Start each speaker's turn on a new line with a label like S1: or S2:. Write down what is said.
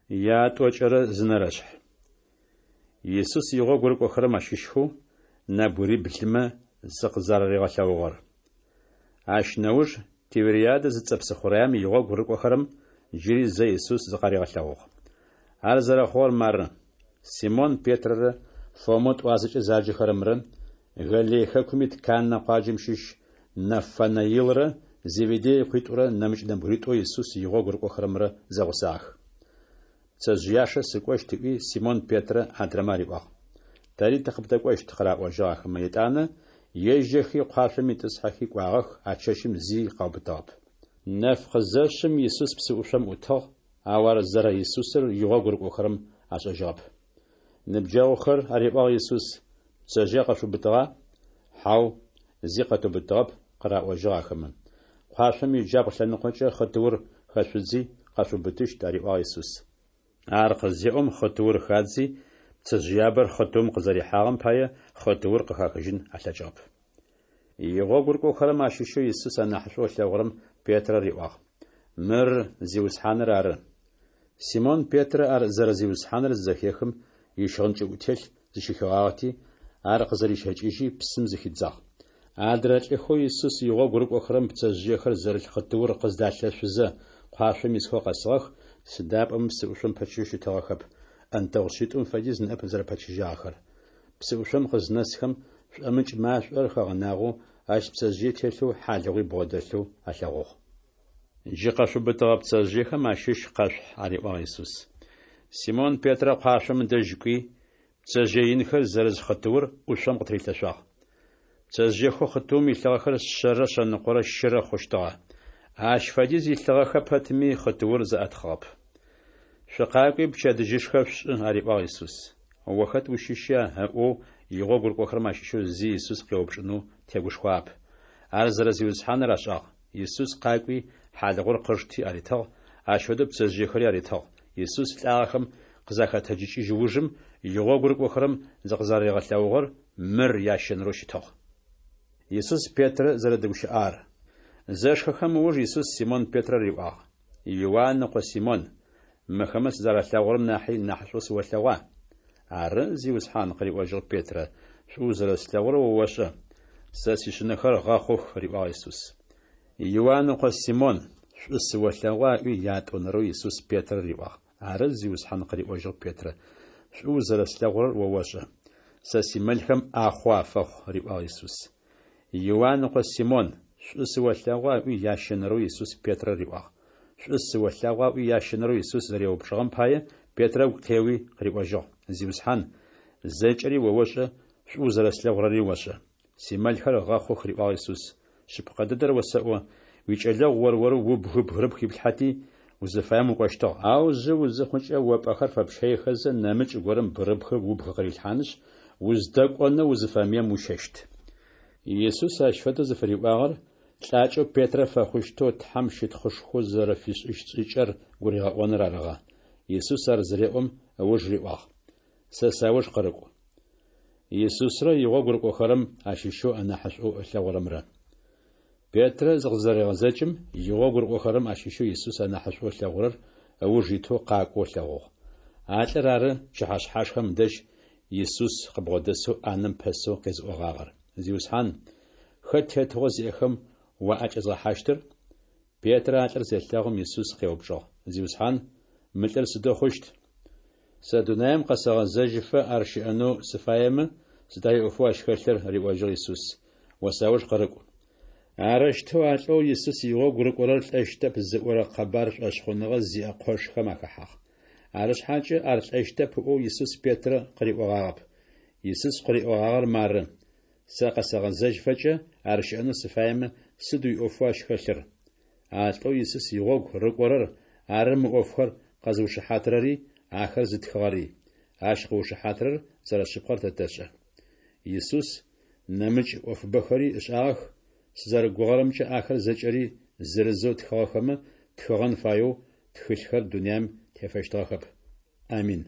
S1: Ятӏокӏэрэ зы нэрэшъхь. Исус игъогу рыкӏохэрэм ащыщхэу нэбгыриблымэ зыкъызэраригъэлъэгъугъэр. Ащ нэуж Тивериадэ зыцӏэ псыхъураем игъогу рыкӏохэрэм джыри зэ Исус зыкъаригъэлъэгъугъ. Ар зэрэхъугъэр мары: Симон Петрэрэ Фомэу тӏуазэкӏэ заджэхэрэмрэ, Галилей хэкум ит Каннэ къуаджэм щыщ Нафанаилрэ Зеведей ыкъуитӏурэ нэмыкӏ нэбгыритӏоу Исус игъогу рыкӏохэрэмрэ зэгъусагъэх. Пцэжъыяшэ сыкӏощт, ыӏуи, Симон Петрэ адрэмэ ариӏуагъ. Тэри тыкъыбдэкӏощт, къыраӏожьыгъ ахэмэ етӏанэ, ежьэхи къуашъом итӏысхьэхи кӏуагъэх, а чэщым зи къаубытыгъэп. Нэф къызэшъым Исус псыӏушъом ӏутыгъ, ау ар зэрэ Исусыр игъогу рыкӏохэрэм ашӏэжьыгъэп. Ныбджэгъухэр, ариӏуагъ Исус, пцэжъые къэшъуубытыгъа? Хьау, зи къэтыубытыгъэп, къыраӏожьыгъ ахэмэ. Къуашъом иджабгъу лъэныкъокӏэ хъытыур хэшъудзи, къэшъуубытыщт, ариӏуагъ Исус. Ар къызеӏом, хъытыур хадзи, пцэжъыябэр хъытыум къызэрихьагъэм пае хъытыур къыхахыжьын алъэкӏыгъэп. Игъогу рыкӏохэрэм ащыщэу Исус анахьышӏоу ылъэгъурэм Петрэ риӏуагъ: Мыр Зиусхьаныр ары. Симон Петрэ ар зэрэ Зиусхьаныр зызэхехым, ищыгъын кӏыӏутелъ зыщихыгъагъэти, ар къызэрищэкӏыжьи, псым зыхидзагъ. Адрэ лӏыхэу Исус игъогу рыкӏохэрэм пцэжъыехэр зэрылъ хъытыур къыздалъэшъузэ, къуашъом исхэу къэсыгъэх, сыда пӏомэ псыӏушъом пэчыжьэу щытыгъэхэп, ӏэнтэгъу шъитӏум фэдиз ныӏэп зэрэпэчыжьагъэхэр. Псыӏушъом къызнэсхэм, шӏомыкӏ машӏор хэгъэнагъэу, ащ пцэжъые телъэу хьалыгъуи бгъодэлъэу алъэгъугъ. Джы къэшъуубытыгъэ пцэжъыехэм ащыщ къэшъухь, ариӏуагъ Исус. Симон Петрэ къуашъом дэжь кӏуи, пцэжъые инхэр зэрыз хъытыур ӏушъом къытырилъэшъуагъ. Пцэжъыехэу хъытыум илъыгъэхэр шъэрэ шъэныкъорэ щырэ хъущтыгъэ. Ащ фэдиз илъыгъэхэ пэтми, хъытыур зэӏэтхъыгъэп. Шъукъакӏуи пчэдыжьышхэ шъушӏы, ариӏуагъ Исус. О хэт ущыща? ыӏоу игъогу рыкӏохэрэм ащыщэу зи Исус къеупчӏынэу тегушхуагъэп. Ар зэрэ Зиусхьаныр ашӏагъ. Исус къакӏуи, хьалыгъур къышти аритыгъ, ащ фэдэу пцэжъыехэри аритыгъ. Исус лӏагъэхэм къызахэтэджыкӏыжь ужым игъогу рыкӏохэрэм зыкъызаригъэлъэгъугъэр мыр ящэнэрэу щытыгъ. Исус Петрэ зэрэдэгущыӏагъэр. Зэшхэхэм ыуж Исус Симон Петрэ риӏуагъ: Иуан ыкъо Симон, мыхэмэ сызэралъэгъурэм нахьи нахьышӏоу сыолъэгъуа? Ары, Зиусхьан, къыриӏожьыгъ Петрэ, шӏу узэрэслъэгъурэр о ошӏэ. Сэ сишъынэхэр гъэхъух, риӏуагъ Исус. Иуан ыкъо Симон, шӏу сыолъэгъуа? ыӏуи ятӏонэрэу Исус Петрэ риӏуагъ. Ары, Зиусхьан, къыриӏожьыгъ Петрэ, шӏу узэрэслъэгъурэр о ошӏэ. Сэ симэлхэм ӏахъо афэхъу, риӏуагъ Исус. Иуан ыкъо Симон, шӏу сыолъэгъуа? ыӏуи ящэнэрэу Исус Петрэ риӏуагъ. Шӏу сыолъэгъуа? ыӏуи ящэнэрэу Исус зэреупчӏыгъэм пае Петрэ ыгу къеуи къыриӏожьыгъ: Зиусхьан, зэкӏэри о ошӏэ, шӏу узэрэслъэгъурэри ошӏэ. Симэлхэр гъэхъух, риӏуагъ Исус. Шъыпкъэ дэдэр осэӏо, уикӏэлэгъу ор-орэу убгы бгырыпх иплъхьэти, узыфаем укӏощтыгъ, ау жъы узыхъукӏэ, о пӏэхэр фэпщэихэзэ, нэмыкӏ горэм бгырыпхыр убг къырилъхьанышъ, уздэкӏонэу узыфэмыем уищэщт. Исус ащ фэдэу зыфыриӏуагъэр лӏакӏэу Петрэ фэхъущтэу Тхьэм щытхъушхо зэрэфишӏыщт шӏыкӏэр гуригъэӏоныр арыгъэ. Исус ар зыреӏом ыуж риӏуагъ: Сэ сауж къырыкӏу. Исусрэ игъогу рыкӏохэрэм ащыщэу анахьышӏоу ылъэгъурэмрэ. Петрэ зыкъызэрегъэзэкӏым, игъогу рыкӏохэрэм ащыщэу Исус анахьышӏоу ылъэгъурэр ыуж итэу къакӏоу ылъэгъугъ. А лӏыр ары пчыхьэшъхьашхэм дэжь Исус къыбгъодэсэу ӏанэм пэсэу къезыӏогъагъэр: Зиусхьан, хэт тетыгъо зиӏэхэм уаӏэкӏэзгъэхьащтыр? Петрэ а лӏыр зелъэгъум, Исус къеупчӏыгъ: Зиусхьан, мы лӏыр сыдэу хъущт? Сэ дунаим къэсэгъэзэжьыфэ ар щыӏэнэу сыфаемэ, сыда иӏофэу ащ хэлъыр? риӏожьыгъ Исус. О сауж къырыкӏу. Арэущтэу а лӏэу Исус игъогу рыкӏорэр лӏэщтэп зыӏорэ къэбар шӏошъхъуныгъэ зиӏэ къошхэм ахэхьагъ. Арышъхьакӏэ ар лӏэщтэп ыӏоу Исус Петрэ къыриӏогъагъэп. Исус къыриӏогъагъэр мары: Сэ къэсэгъэзэжьыфэкӏэ ар щыӏэнэу сыфаемэ, сыд уиӏофэу ащ хэлъыр? А лӏэу Исус игъогу рыкӏорэр ары мы ӏофхэр къэзыушыхьатырэри, ахэр зытхыгъэри. Ащ къыушыхьатырэр зэрэшъыпкъэр тэ тэшӏэ. Исус нэмыкӏ ӏофыбэхэри ышӏагъэх, сызэрэгугъэрэмкӏэ ахэр зэкӏэри зырызэу тхыгъэхэмэ, тхыгъэн фаеу тхылъхэр дунаим тефэщтыгъэхэп. Амин.